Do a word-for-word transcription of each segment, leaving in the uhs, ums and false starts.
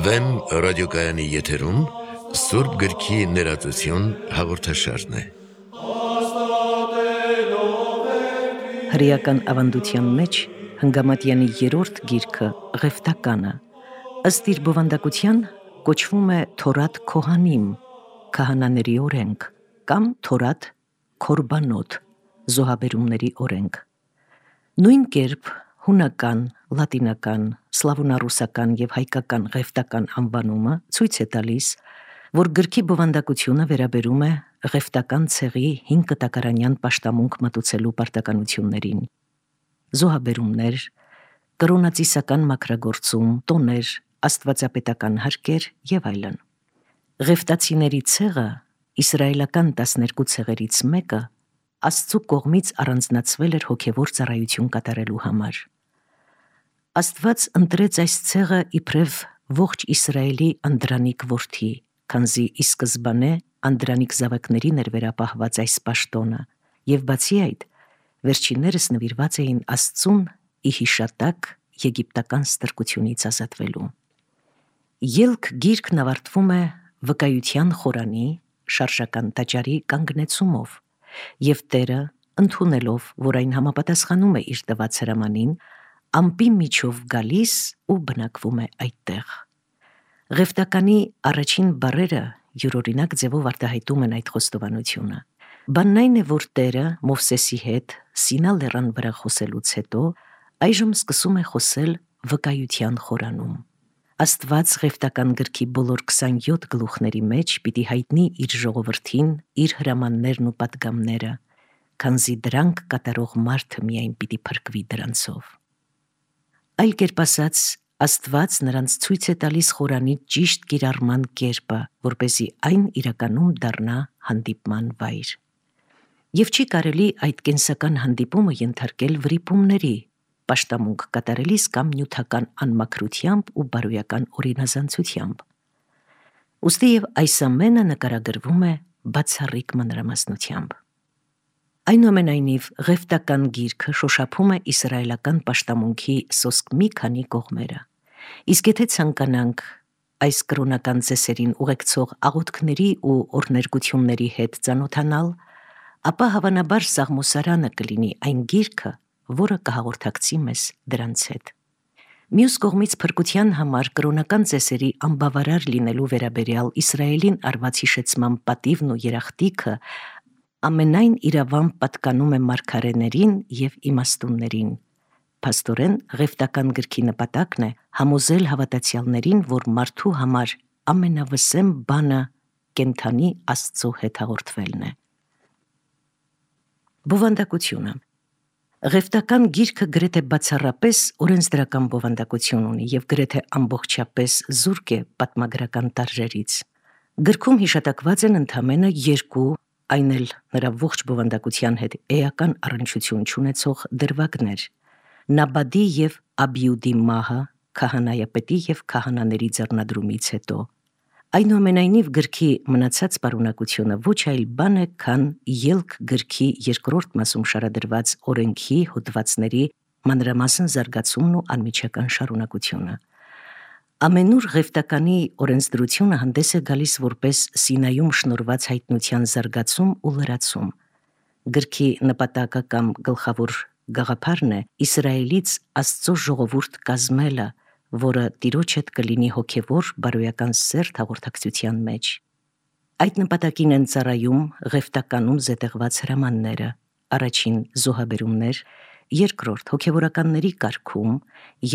Վեմ ռադիոկայանի եթերում Սուրբ գրքի ներածություն հաղորդաշարն է։ Հրեական ավանդության մեջ Հնգամատյանի երրորդ գիրքը Ղևտականը ըստ իր բովանդակության կոչվում է Թորատ Քոհանիմ, քահանաների օրենք, կամ Թորատ Քորբանոտ, զոհաբերումների օրենք։ Նույն կերպ հունական, լատինական, սլավոնառուսական և հայկական Ղևտական անվանումը ցույց է տալիս, որ գրքի բովանդակությունը վերաբերում է Ղևտական ցեղի հին կտակարանյան պաշտամունք մատուցելու պարտականություններին, զոհաբերումներ, կրոնածիսական մաքրագործում, տոներ, աստվածապետական հարկեր և այլն։ Ղևտացիների ցեղը, իսրայելական տասներկու ցեղերից մեկը, Աստծու կողմից առանձնացվել էր հոգևոր ծառայություն կատարելու համար։ Աստված ընտրեց այս ցեղը իբրև ողջ Իսրայելի անդրանիկ որդի, քանզի ի սկզբանե անդրանիկ զավակներին էր վերապահված այս պաշտոնը, և բացի այդ, վերջիններս նվիրված էին Աստծուն ի հիշատակ եգիպտական ստրկությունից ազատվելու։ Ելք գիրքն ավարտվում է վկայության խորանի, շարժական տաճարի կանգնեցումով, և Տերը, ընդունելով, որ այն համապատասխանում է իր տված հրամանին, ամպի միջով գալիս ու բնակվում է այդտեղ։ Ղևտականի առաջին բառերը յուրօրինակ ձևով արտահայտում են այդ խոստովանությունը։ Բանն այն է, որ Տերը Մովսեսի հետ Սինա լեռան վրա խոսելուց հետո այժմ սկսում է խոսել վկայության խորանում։ Աստված Ղևտական գրքի բոլոր քսանյոթ գլուխների մեջ պիտի հայտնի իր ժողովրդին իր հրամաններն ու պատգամները, քանզի դրանք կատարող մարդը միայն պիտի փրկվի դրանցով։ Այլ կերպ ասած, Աստված նրանց ցույց է տալիս խորանի ճիշտ կիրառման կերպը, որպեսզի այն իրականում դառնա հանդիպման վայր։ Եվ չի կարելի այդ կենսական հանդիպումը ենթարկել վրիպումների, պաշտամունք կատարելիս կամ նյութական անմաքրությամբ ու բարոյական օրինազանցությամբ։ Ուստի և այս ամենը նկարագրվում է բացառիկ մանրամասնությամբ։ Այնուամենայնիվ, Ղևտական գիրքը շոշափում է իսրայելական պաշտամունքի սոսկ մի քանի կողմերը, իսկ եթե ցանկանանք այս կրոնական ծեսերին ուղեկցող աղոթքների ու օրհներգությունների հետ ծանոթանալ, ապա հավանաբար Սաղմոսարանը կլինի այն գիրքը, որը կհաղորդակցի մեզ դրանց հետ։ Մյուս կողմից փրկության համար կրոնական ծեսերի անբավարար լինելու վերաբերյալ Իսրայելին արված հիշեցման պատիվն ու երախտիկը ամենայն իրավամբ պատկանում է մարգարեներին և իմաստուններին։ Փաստորեն, Ղևտական գրքի նպատակն է համոզել հավատացյալներին, որ մարդու համար ամենավսեմ բանը կենդանի Աստծո հետ հաղորդվելն է։ Բովանդակությունը։ Ղևտական գիրքը գրեթե բացառապես օրենսդրական բովանդակություն ունի և գրեթե ամբողջապես զուրկ է պատմագրական տարրերից։ Գրքում հիշատակված են ընդամենը երկու, այն էլ նրա ողջ բովանդակության հետ էական առնչություն չունեցող դրվագներ՝ Նաբադի և Աբիուդի մահը քահանայապետի և քահանաների ձեռնադրումից հետո։ Այնուամենայնիվ, գրքի մնացած պարունակությունը ոչ այլ բան է, քան ելք գրքի երկրորդ մասում շարադրված օրենքի հոդվածների մանրամասն զարգացումն ու անմիջական շարունակությունը։ Ամենուր Ղևտականի օրենսդրությունը հանդես է գալիս որպես Սինայում շնորհված հայտնության զարգացում ու լրացում։ Գրքի նպատակը կամ գլխավոր գաղափարն է Իսրայելից Աստծո ժողովուրդ կազմելը, որը Տիրոջ հետ կլինի հոգևոր բարոյական սերտ հաղորդակցության մեջ։ Այդ նպատակին են ծառայում Ղևտականում զետեղված հրամանները՝ առաջին զոհաբերումներ, երկրորդ հոգևորականների կարգում,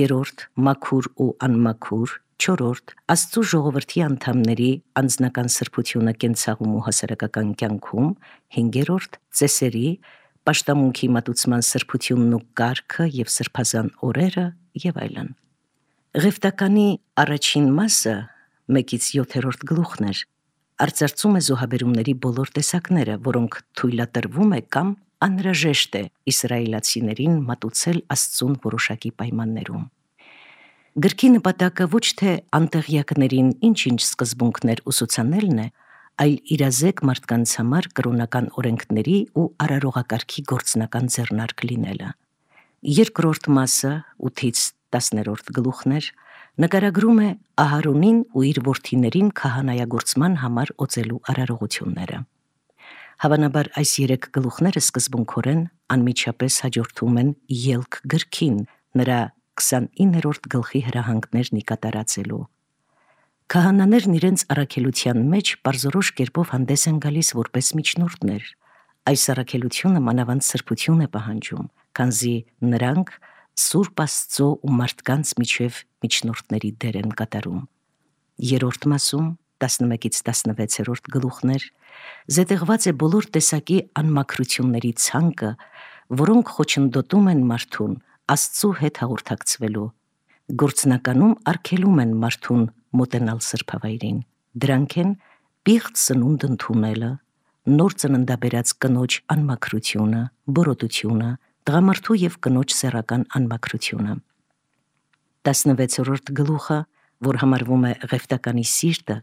երրորդ մաքուր ու անմաքուր, չորրորդ Աստծու ժողովրդի անդամների անձնական սրբությունը կենցաղում ու հասարակական կյանքում, հինգերորդ ծեսերի, պաշտամունքի մատուցման սրբությունն ու կարգը և սրբազան օրերը և այլն։ Ղևտականի առաջին մասը, մեկից յոթերորդ գլուխն էր, արծարծում է զոհաբերումների բոլոր տեսակները, որոնք թույլատրվում է կամ անհրաժեշտ է իսրայելացիներին մատուցել Աստծուն որոշակի պայմաններում։ Գրքի նպատակը ոչ թե անտեղյակներին ինչ-ինչ սկզբունքներ ուսուցանելն է, այլ իրազեկ մարդկանց համար կրոնական օրենքների ու արարողակարգի գործնական ձեռնարկ լինելը։ Երկրորդ մասը ութից տասներորդ գլուխներ նկարագրում է Ահարոնին ու իր որդիներին քահանայագործման համար օծելու արարողությունները։ Հավանաբար այս երեք գլուխները սկզբունքորեն անմիջապես հաջորդում են ելք գրքին, նրա քսանիններորդ գլխի հրահանգներն ի կատարածելու։ Քահանաներն իրենց առաքելության մեջ պարզորոշ կերպով հանդես են գալիս որպես միջնորդներ։ Այս առաքելությունը մանավանդ սրբություն է պահանջում, քանզի նրանք Սուրբ Աստծո ու մարդկանց միջև միջնորդների դեր են կատարում։ Երրորդ մասում տասնմեկից տասնվեցերորդ գլուխներ զետեղված է բոլոր տեսակի անմաքրությունների ցանկը, որոնք խոչընդոտում են մարդուն Աստծու հետ հաղորդակցվելու, գործնականում արգելում են մարդուն մոտենալ սրբավայրին։ Դրանք են պիղծ սնունդ ընդունելը, նոր ծննդաբերած կնոջ անմաքրությունը, բորոտությունը, տղամարդու և կնոջ սեռական անմաքրությունը։ Տասնվեցերորդ գլուխը, որ համարվում է Ղևտականի սիրտը,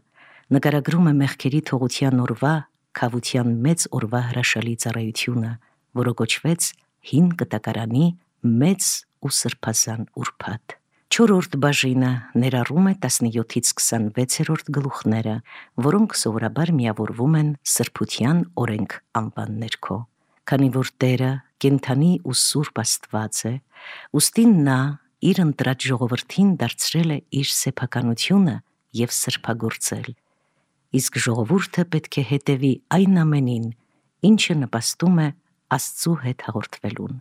նկարագրում է մեղքերի թողության օրվա, քավության մեծ օրվա հրաշալի ծառայությունը, որը կոչվեց Հին Կտակարանի մեծ ու սրբազան ուրբաթ։ Չորրորդ բաժինը ներառում է տասնյոթից քսանվեցերորդ գլուխները, որոնք սովորաբար միավորվում են սրբության օրենք անվան ներքո։ Քանի որ Տերը կենդանի ու սուրբ Աստված է, ուստի նա իր ընտրած ժողովրդին դարձրել է իր սեփականությունը և սրբագործել, իսկ ժողովուրդը պետք է հետևի այն ամենին, ինչը նպաստում է Աստծու հետ հաղորդվելուն։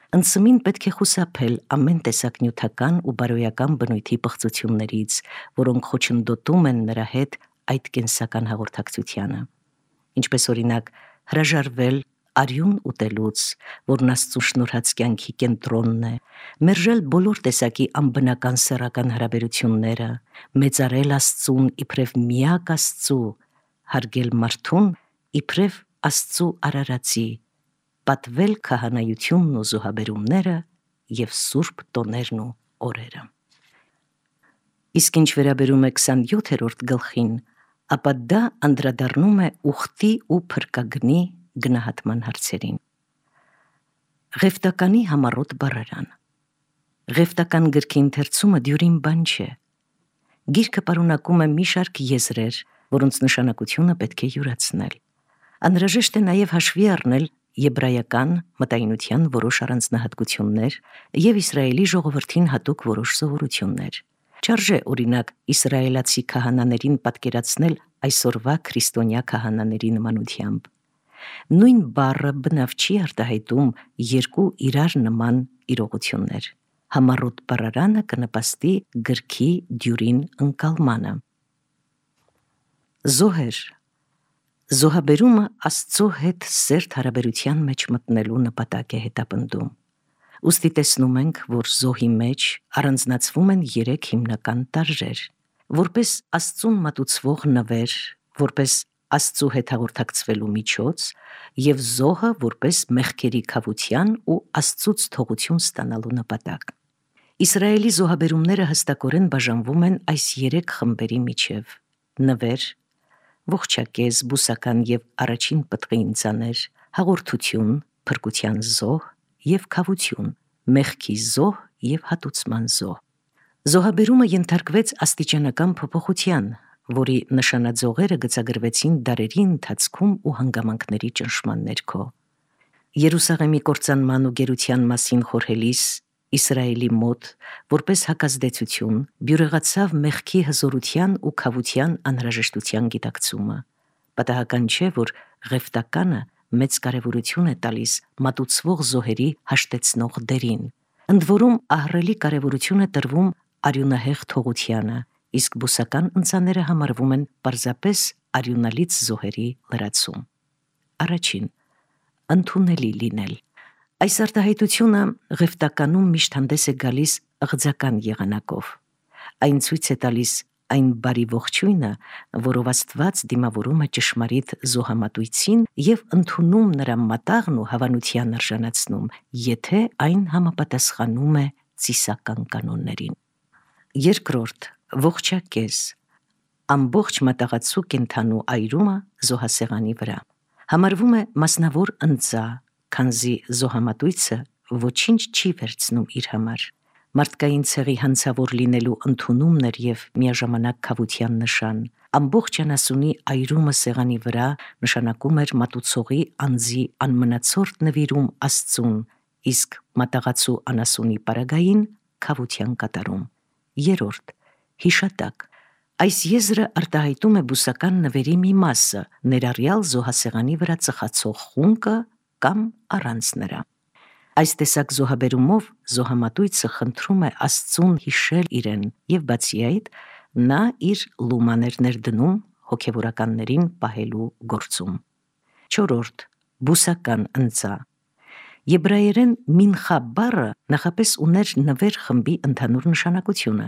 Ընծմին պետք է խուսափել ամեն տեսակ նյութական ու բարոյական բնույթի պղծություններից, որոնք խոչընդոտում են նրա հետ այդ կենսական հաղորդակցությանը, ինչպես օրինակ հրաժարվել արյուն ուտելուց, որն Աստծու շնորհած կյանքի կենտրոնն է, մերժել բոլոր տեսակի անբնական սեռական հարաբերությունները, մեծարել Աստծուն իբրև միակ Աստծու, հարգել մարդուն իբրև Աստծու արարածի, պատվել քահանայությունն ու զոհաբերումները և սուրբ տոներն ու օրերը։ Իսկ ինչ վերաբերում է քսանյոթերորդ գլխին, ապա դա անդրադառնում է ուխտի ու փրկագնի գնահատման հարցերին։ Ղևտականի համառոտ բառարան։ Ղևտական գրքի ընթերցումը դյուրին բան չէ։ Գիրքը պարունակում է մի շարք եզրեր, որոնց նշանակությունը պետք է յուրացնել։ Անհրաժեշտ է նաև հաշվի առնել եբրայական մտայնության որոշ առանձնահատկություններ և Իսրայելի ժողովրդին հատուկ որոշ սովորություններ։ Չարժե օրինակ իսրայելացի քահանաներին պատկերացնել այսօրվա քրիստոնյա քահանաների նմանությամբ։ Նույն բառը բնավ չի արտահայտում երկու իրար նման իրողություններ։ Համառոտ բառարանը կնպաստի գրքի դյուրին ընկալմանը։ Զոհեր։ Զոհաբերումը Աստծո հետ սերտ հարաբերության մեջ մտնելու նպատակ է հետապնդում։ Ուստի տեսնում ենք, որ զոհի մեջ առանձնացվում են երեք հիմնական տարրեր՝ որպես Աստծուն մատուցվող նվեր, որպես Աստծու հետ հաղորդակցվելու միջոց և զոհը որպես մեղքերի քավության ու Աստծուց թողություն ստանալու նպատակ։ Իսրայելի զոհաբերումները հստակորեն բաժանվում են այս երեք խմբերի միջև՝ նվեր, ողջակեզ, բուսական և առաջին պտղի ինձաներ, հաղորդություն, փրկության զոհ և քավություն, մեղքի զոհ և հատուցման զոհ։ Զոհաբերումը ենթարկվեց աստիճանական փոփոխության, որի նշանաձողերը գծագրվեցին դարերի ընթացքում ու հանգամանքների ճնշման ներքո։ Երուսաղեմի կործանման ու գերության մասին խորհելիս Իսրայելի մոտ, որպես հակազդեցություն, բյուրեղացավ մեղքի հզորության ու քավության անհրաժեշտության գիտակցումը։ Պատահական չէ, որ Ղևտականը մեծ կարևորություն է տալիս մատուցվող զոհերի հաշտեցնող դերին, ընդ որում ահռելի կարևորություն է տրվում արյունահեղ թողությանը, իսկ բուսական ընձաները համարվում են պարզապես արյունալից զոհերի լրացում։ Առաջին. ընդունելի լինել։ Այս արտահայտությունը Ղևտականում միշտ հանդես է գալիս ըղձական եղանակով։ Այն ցույց է տալիս այն բարի ողջույնը, որով Աստված դիմավորում է ճշմարիտ զոհամատույցին և ընդունում նրա մատաղն ու հավանության արժանացնում, եթե այն համապատասխանում է ծիսական կանոններին։ Երկրորդ. ողջակեզ։ Ամբողջ մատաղացու կենդանու այրումը զոհասեղանի վրա համարվում է մասնավոր ընձա, քանզի զոհամատույցը ոչինչ չի վերցնում իր համար։ Մարդկային ցեղի հանցավոր լինելու ընդունումն էր եւ միաժամանակ քավության նշան։ Ամբողջ անասունի այրումը սեղանի վրա նշանակում էր մատուցողի անձի անմնացորդ նվիրում Աստծուն, իսկ մատաղացու անասունի պարագային քավության կատարում։ Երորդ. հիշատակ։ Այս եզրը արտահայտում է բուսական նվերի մի մասը, ներառյալ զոհասեղանի վրա ծխացող խունկը կամ առանց նրա։ Այս տեսակ զոհաբերումով զոհամատույցը խնդրում է Աստծուն հիշել իրեն եւ բացի այդ նա իր լումաներ ներդնում հոգևորականներին պահելու գործում։ Չորրորդ. բուսական ընծա։ Եբրայերեն մինխա բառը նախապես ուներ նվեր խմբի ընդհանուր նշանակությունը։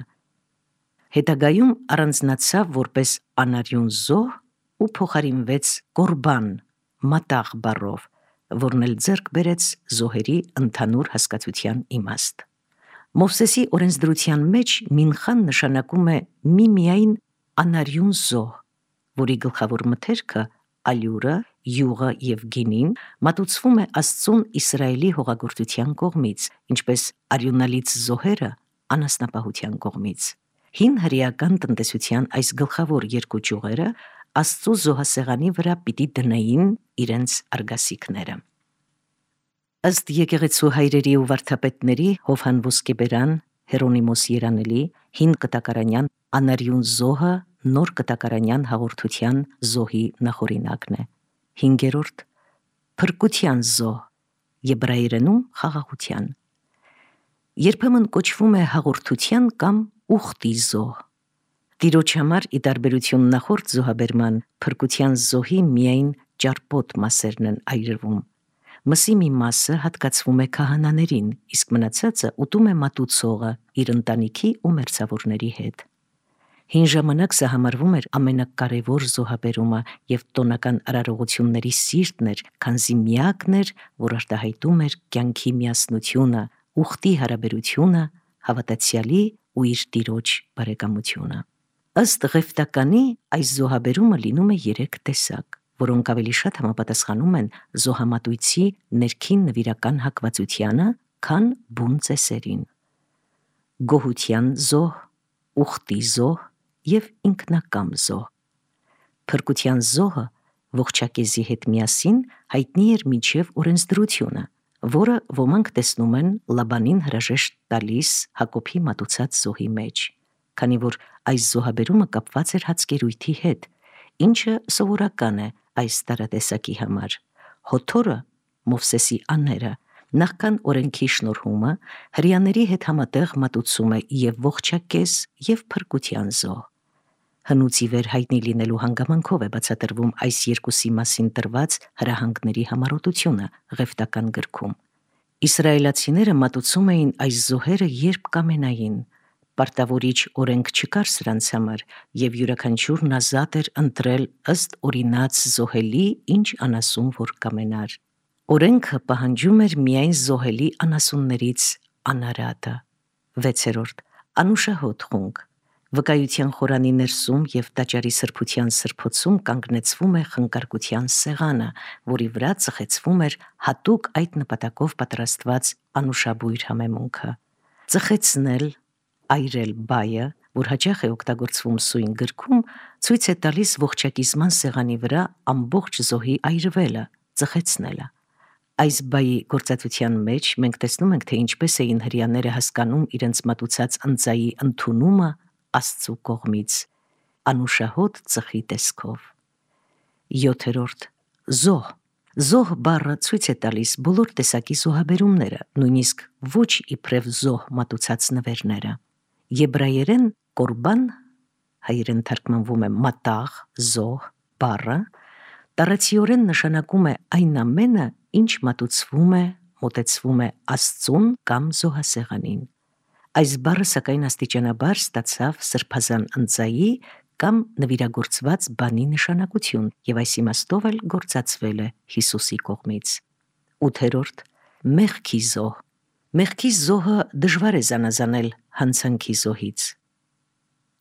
Հետագայում առանձնացավ որպես անարյուն զոհ ու փոխարինվեց կորբան մատաղ բառով, որն էլ ձեռք բերեց զոհերի ընդհանուր հասկացության իմաստ։ Մովսեսի օրենսդրության մեջ մինխան նշանակում է միմիայն անարյուն զոհ, որի գլխավոր մթերքը ալյուրը, յուղը եւ գինին մատուցվում է Աստծուն Իսրայելի հողագործության կողմից, ինչպես արյունալից զոհերը անասնապահության կողմից։ Հին հրեական տնտեսության այս գլխավոր երկու ճյուղերը Աստծու զոհասեղանի վրա պիտի դնեին իրենց արգասիքները։ Ըստ եկեղեցու հայրերի ու վարդապետների Հովհան Ոսկեբերան, Հերոնիմոս Երանելի, հին կտակարանյան անարյուն զոհը նոր կտակարանյան հաղորդության զոհի նախօրինակն է։ Հինգերորդ. փրկության զոհ, եբրայերենում խաղաղության։ Երբեմն կոչվում է հաղորդության կամ ուխտի զոհ։ Տիրոջ համար ի տարբերություն նախորդ զոհաբերման, փրկության զոհի միայն ճարպոտ մասերն են այրվում։ Մսի մի մասը հատկացվում է քահանաներին, իսկ մնացածը ուտում է մատուցողը իր ընտանիքի ու մերձավորների հետ։ Հին ժամանակ սա համարվում էր ամենակարևոր զոհաբերումը եւ տոնական արարողությունների սիրտն էր, քանզի միակն էր, որ արտահայտում էր կյանքի միասնությունը, ուխտի հարաբերությունը, հավատացյալի ու իր տիրոջ բարեկամությունը։ Ըստ Ղևտականի այս զոհաբերումը լինում է երեք տեսակ, որոնք ավելի շատ համապատասխանում են զոհամատույցի ներքին նվիրական հակվածությանը, քան բուն ծեսերին։ Գոհության զոհ, ուխտի զոհ եւ ինքնակամ զոհ։ Փրկության զոհը ողջակեզի հետ միասին հայտնի էր մինչև օրենսդրությունը, որը ոմանք տեսնում են Լաբանին հրաժեշտ տալիս Հակոբի մատուցած զոհի մեջ, քանի որ այս զոհաբերումը կապված էր հացկերույթի հետ, ինչը սովորական է այս տարատեսակի համար։ Հոթորը, Մովսեսի աները, նախքան օրենքի շնորհումը հրեաների հետ համատեղ մատուցում է եւ ողջակեզ եւ փրկության զոհ։ Հնուց ի վեր հայտնի լինելու հանգամանքով է բացատրվում այս երկուսի մասին տրված հրահանգների համառոտությունը Ղևտական գրքում։ Իսրայելացիները մատուցում էին այս զոհերը երբ կամենային, պարտավորիչ օրենք չկար սրանց համար, եւ յուրաքանչյուրն ազատ էր ընտրել ըստ օրինաց զոհելի ինչ անասուն որ կամենար։ Օրենքը պահանջում էր միայն զոհելի անասուններից անարատը։ Վեցերորդ. անուշահոտ խունկ։ Վկայության խորանի ներսում եւ տաճարի սրբության սրբոցում կանգնեցվում է խնկարկության սեղանը, որի վրա ծխեցվում էր հատուկ այդ նպատակով պատրաստված անուշաբույր համեմունքը։ Ծխեցնել, այրել բայը, որ հաճախ է օգտագործվում սույն գրքում, ցույց է տալիս ողջակիզման սեղանի վրա ամբողջ զոհի այրվելը, ծխեցնելը։ Այս բայի գործածության մեջ մենք տեսնում ենք, թե ինչպես էին հրեաները հասկանում իրենց մատուցած ընծայի ընդունումը Աստծու կողմից, անուշահոտ ծխի տեսքով։ Յոթերորդ. զոհ։ Զոհ բառը ցույց է տալիս բոլոր տեսակի զոհաբերումները, նույնիսկ ոչ իբրև զոհ մատուցած նվերները։ Եբրայերեն կորբան, հայերեն թարգմանվում է մատաղ, զոհ բառը, տարածիորեն նշանակում է այն ամենը, ինչ մատուցվում է, մոտեցվում է Աստծուն կամ զոհասեղանին։ Այս բառը սակայն աստիճանաբար ստացավ սրբազան ընծայի կամ նվիրագործված բանի նշանակություն եւ այս իմաստով էլ գործածվել է Հիսուսի կողմից։ Ութերորդ. մեղքի զոհ։ Մեղքի զոհը դժվար է զանազանել հանցանքի զոհից։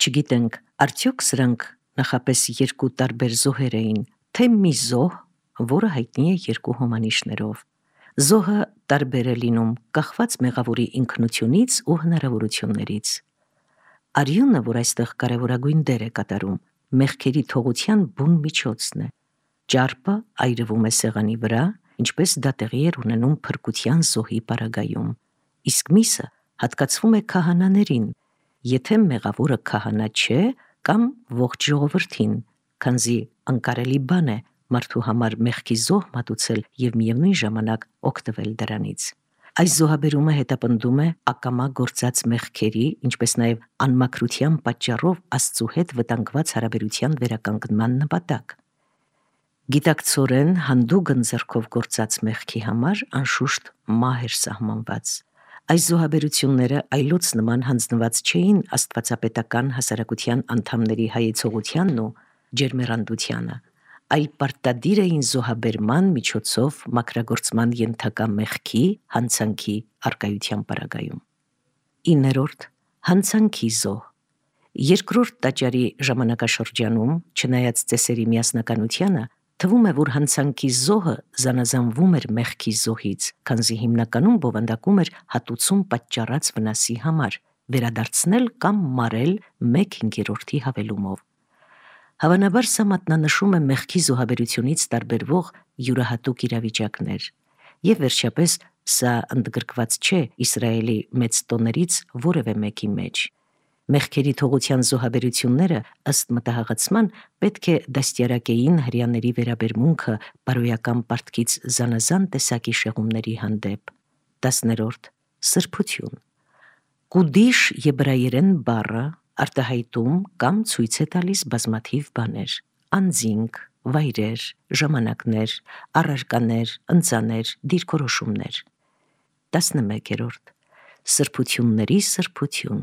Չգիտենք, արդյոք սրանք նախապես երկու տարբեր զոհեր էին, թե մի զոհ, որը հայտնի է երկու հոմանիշներով։ Զոհը տարբեր է լինում կախված մեղավորի ինքնությունից ու հնարավորություններից։ Արյունը, որ այստեղ կարևորագույն դեր է կատարում, մեղքերի թողության բուն միջոցն է։ Ճարպը այրվում է սեղանի վրա, ինչպես դա տեղի էր ունենում փրկության զոհի պարագայում, իսկ միսը հատկացվում է քահանաներին, եթե մեղավորը քահանա չէ կամ ողջ ժողովրդին, քանզի անկարելի բան է մարդու համար մեղքի զոհ մատուցել եւ միևնույն ժամանակ օգտվել դրանից։ Այս զոհաբերումը հետապնդում է ակամա գործած մեղքերի, ինչպես նաև անմաքրության պատճառով Աստծու հետ վտանգված հարաբերության վերականգնման նպատակ։ Գիտակցորեն հանդուգն ձեռքով գործած մեղքի համար անշուշտ մահ էր սահմանված։ Այս զոհաբերությունները այլոց նման հանձնված չէին աստվածապետական հասարակության անդամների հայեցողությանն ու ջերմեռանդությանը, այլ պարտադիր էին զոհաբերման միջոցով մաքրագործման ենթակա մեղքի հանցանքի առկայության պարագայում։ Իններորդ հանցանքի զոհ։ Երկրորդ տաճարի ժամանակաշրջանում, չնայած ծեսերի միասնականությանը, թվում է, որ հանցանքի զոհը զանազանվում էր մեղքի զոհից, քանզի հիմնականում բովանդակում էր հատուցում պատճառած վնասի համար, վերադարձնել կամ մարել մեկ հինգերորդի հավելումով։ Հավանաբար սա մատնանշում է մեղքի զոհաբերությունից տարբերվող յուրահատուկ իրավիճակներ, եւ վերջապես սա ընդգրկված չէ Իսրայելի մեծ տոներից որևէ մեկի մեջ։ Մեղքերի թողության զոհաբերությունները ըստ մտահղացման պետք է դաստիարակեին հրեաների վերաբերմունքը բարոյական պարտքից զանազան տեսակի շեղումների հանդեպ։ Տասներորդ սրբություն։ Կուդիշ եբրայերեն բառը արտահայտում կամ ցույց է տալիս բազմաթիվ բաներ՝ անձինք, վայրեր, ժամանակներ, առարկաներ, ընծաներ, դիրքորոշումներ։ Տասնմեկերորդ սրբությունների սրբություն։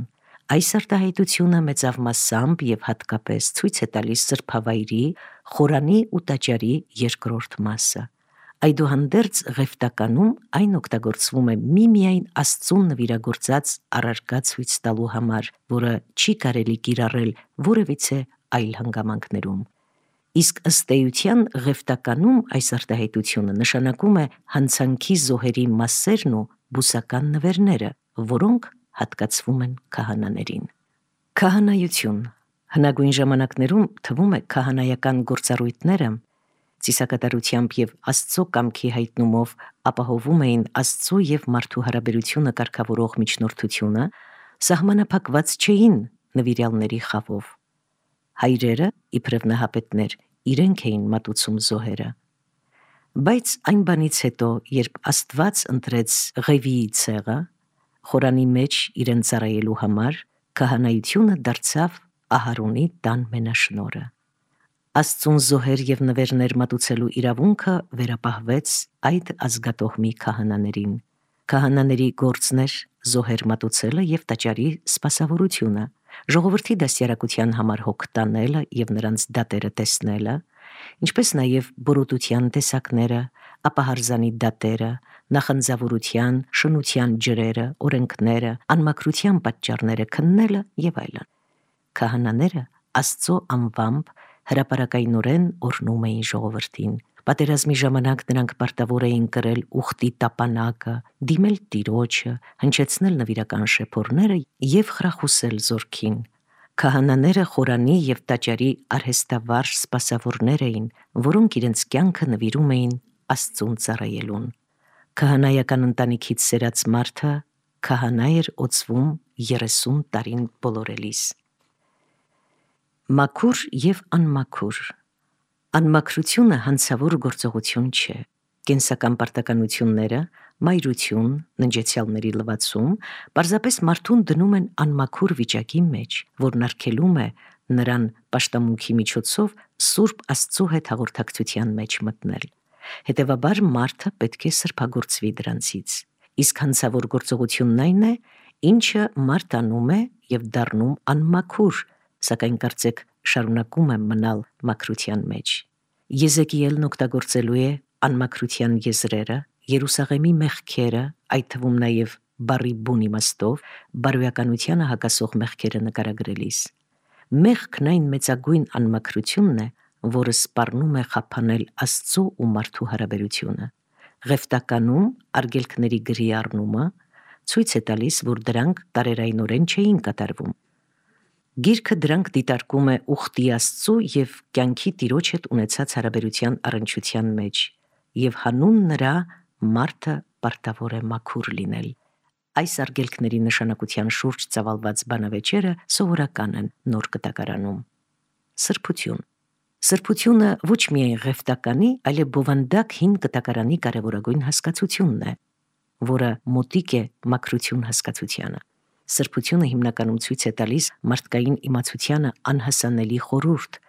Այս արտահայտությունը մեծավ մասամբ եւ հատկապես ցույց է տալիս սրբավայրի, խորանի ու տաճարի երկրորդ մասը։ Այդուհանդերձ ղևտականում այն օգտագործվում է միմիայն Աստծուն նվիրագործած առարկա ցույց տալու համար, որը չի կարելի կիրառել որևիցե այլ հանգամանքներում։ Իսկ ըստ էության ղևտականում այս արտահայտությունը նշանակում է հանցանքի զոհերի մասերն ու բուսական նվերները, որոնք հատկացվում են քահանաներին։ Քահանայություն։ Հնագույն ժամանակներում թվում է քահանայական գործառույթները ծիսակատարությամբ եւ Աստծո կամքի հայտնումով ապահովում էին Աստծո եւ մարդու հարաբերությունը կարգավորող միջնորդությունը, սահմանափակված չէին նվիրյալների խավով։ Հայրերը, իբրև նահապետներ, իրենք էին մատուցում զոհերը։ Բայց այն բանից հետո, երբ Աստված ընտրեց Ղևիի ցեղը, խորանի մեջ իրեն ծառայելու համար, քահանայությունը դարձավ Ահարոնի տան մենաշնորհը։ Աստծուն զոհեր եւ նվերներ մատուցելու իրավունքը վերապահվեց այդ ազգատոհմի քահանաներին։ Քահանաների գործն էր զոհեր մատուցելը եւ տաճարի սպասավորությունը, ժողովրդի դաստիարակության համար հոգ տանելը եւ նրանց դատերը տեսնելը, ինչպես նաեւ բորոտության տեսակները, ապահարզանի դատերը, նախանձավորության, շնության ջրերը, օրենքները, անմաքրության պատճառները քննելը եւ այլն։ Քահանաները Աստծո անվամբ հրապարակայնորեն օրհնում էին ժողովրդին։ Պատերազմի ժամանակ նրանք պարտավոր էին կրել ուխտի տապանակը, դիմել Տիրոջը, հնչեցնել նվիրական շեփորները եւ խրախուսել զորքին։ Քահանաները խորանի եւ տաճարի արհեստավարժ սպասավորներ էին, որոնք իրենց կյանքը նվիրում էին Աստծուն ծառայելուն։ Քահանայական ընտանիքից սերած մարդը քահանա էր օծվում երեսուն տարին բոլորելիս։ Մաքուր եւ անմաքուր։ Անմաքրությունը հանցավոր գործողություն չէ։ Կենսական պարտականությունները, մայրություն, ննջեցյալների լվացում, պարզապես մարդուն դնում են անմաքուր վիճակի մեջ, որն արգելում է նրան պաշտամունքի միջոցով Սուրբ Աստծո հետ հաղորդակցության մեջ մտնել։ Հետևաբար մարդը պետք է սրբագործվի դրանցից։ Իսկ հանցավոր գործողությունն այն է, ինչը մարդ անում է եւ դառնում անմաքուր, սակայն կարծեք շարունակում է մնալ մաքրության մեջ։ Եզեկիելն օգտագործելու է անմաքրության եզրերը, Երուսաղեմի մեղքերը, այդ թվում նաև բառի բուն իմաստով, բարոյականությանը հակասող մեղքերը նկարագրելիս։ Մեղքն այն մեծագույն անմաքրությունն է, որը սպառնում է խափանել Աստծո ու մարդու հարաբերությունը։ Ղևտականում արգելքների գրի առնումը ցույց է տալիս, որ դրանք տարերայնորեն չէին կատարվում։ Գիրքը դրանք դիտարկում է ուխտի Աստծու եւ կյանքի Տիրոջ հետ ունեցած հարաբերության առնչության մեջ եւ հանուն նրա մարդը պարտավոր է մաքուր լինել։ Այս արգելքների նշանակության շուրջ ծավալված բանավեճերը սովորական են Նոր Կտակարանում։ Սրբություն։ Սրբությունը ոչ միայն ղևտականի, այլև բովանդակ հին կտակարանի կարևորագույն հասկացությունն է, որը մոտիկ է մաքրություն հասկացությանը։ Սրբությունը հիմնականում ցույց է տալիս մարդկային իմացությանը անհասանելի խորհուրդ,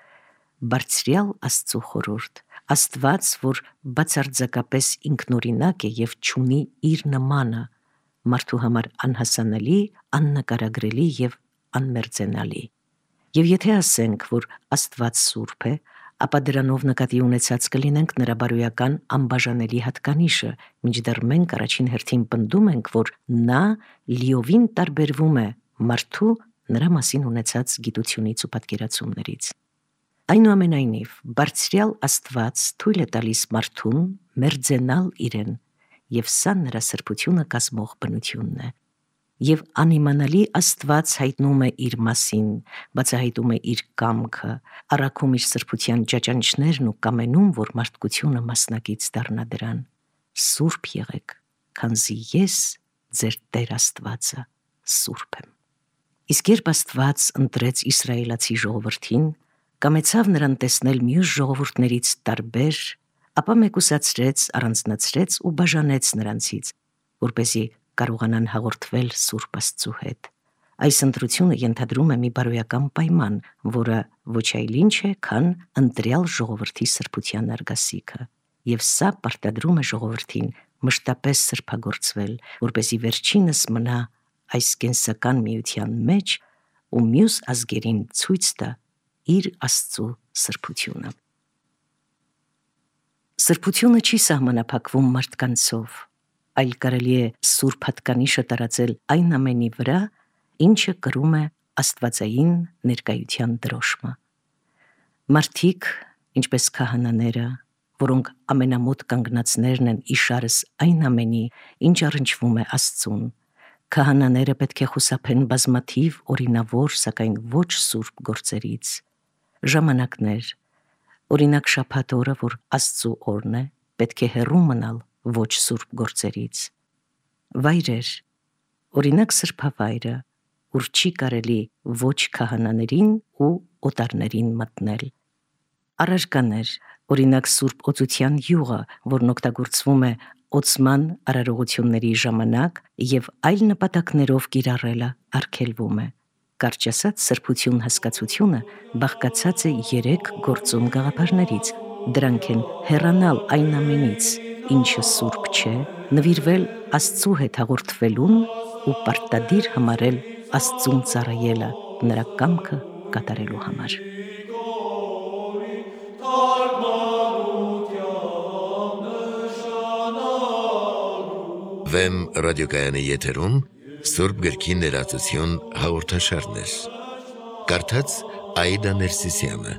բարձրյալ Աստծու խորհուրդ, Աստված, որ բացարձակապես ինքնօրինակ է եւ չունի իր նմանը, մարդու համար անհասանելի, աննկարագրելի եւ անմերձենալի։ Եվ եթե ասենք, որ Աստված սուրբ է, ապա դրանով նկատի ունեցած կլինենք նրա բարոյական անբաժանելի հատկանիշը, մինչդեռ մենք առաջին հերթին պնդում ենք, որ նա լիովին տարբերվում է մարդու նրա մասին ունեցած գիտությունից ու պատկերացումներից։ Այնուամենայնիվ, բարձրյալ Աստված թույլ է տալիս մարդուն մերձենալ իրեն, եւ սա նրա սրբությունը կազմող բնությունն է։ Եվ անիմանալի Աստված հայտնում է իր մասին, բացահայտում է իր կամքը, առաքում իր սրբության ճաճանիշներն ու կամենում, որ մարդկությունը մասնակից դառնա դրան։ Սուրբ եղեք, քանզի ես ձեր Տեր Աստվածը սուրբ եմ։ Իսկ երբ Աստված ընտրեց իսրայելացի ժողովրդին, կամեցավ նրան տեսնել մյուս ժողովուրդներից տարբեր, ապա մեկուսացրեց, առանձնացրեց ու բաժանեց նրանցից, որպեսզի կարողանան հաղորդվել Սուրբ Աստծու հետ։ Այս ընտրությունը ենթադրում է մի բարոյական պայման, որը ոչ այլ ինչ է, քան ընտրյալ ժողովրդի սրբության արգասիքը, եւ սա պարտադրում է ժողովրդին մշտապես սրբագործվել, որպեսզի վերջինս մնա այս կենսական միության մեջ ու մյուս ազգերին ցույց տա իր Աստծու սրբությունը։ Սրբությունը չի սահմանափակվում մարդկանցով, այլ կարելի է սուրբ հատկանիշը տարածել այն ամենի վրա, ինչը կրում է աստվածային ներկայության դրոշմը։ Մարդիկ, ինչպես քահանաները, որոնք ամենամոտ կանգնածներն են իշարս այն ամենի, ինչ առնչվում է Աստծուն, քահանաները պետք է խուսափեն բազմաթիվ օրինավոր, սակայն ոչ սուրբ գործերից։ Ժամանակներ, օրինակ շաբաթ օրը, որ Աստծու օրն է, պետք է հեռու մնալ ոչ սուրբ գործերից։ Վայրեր, օրինակ սրբավայրը, ուր չի կարելի ոչ քահանաներին ու օտարներին մտնել։ Առարկաներ, օրինակ սուրբ օծության յուղը, որն օգտագործվում է օծման արարողությունների ժամանակ եւ այլ նպատակներով կիրառելը արգելվում է։ Կարճ ասած, սրբություն հասկացությունը բաղկացած է երեք գործում գաղափարներից։ Դրանք են հեռանալ այն ամենից, ինչը սուրբ չէ, նվիրվել Աստծու հետ հաղորդվելուն ու պարտադիր համարել Աստծուն ծառայելը նրա կամքը կատարելու համար։ Վեմ ռադիոկայանի եթերում Սուրբ գրքի ներածություն հաղորդաշարներ։ Կարդաց Աիդա Ներսիսյանը։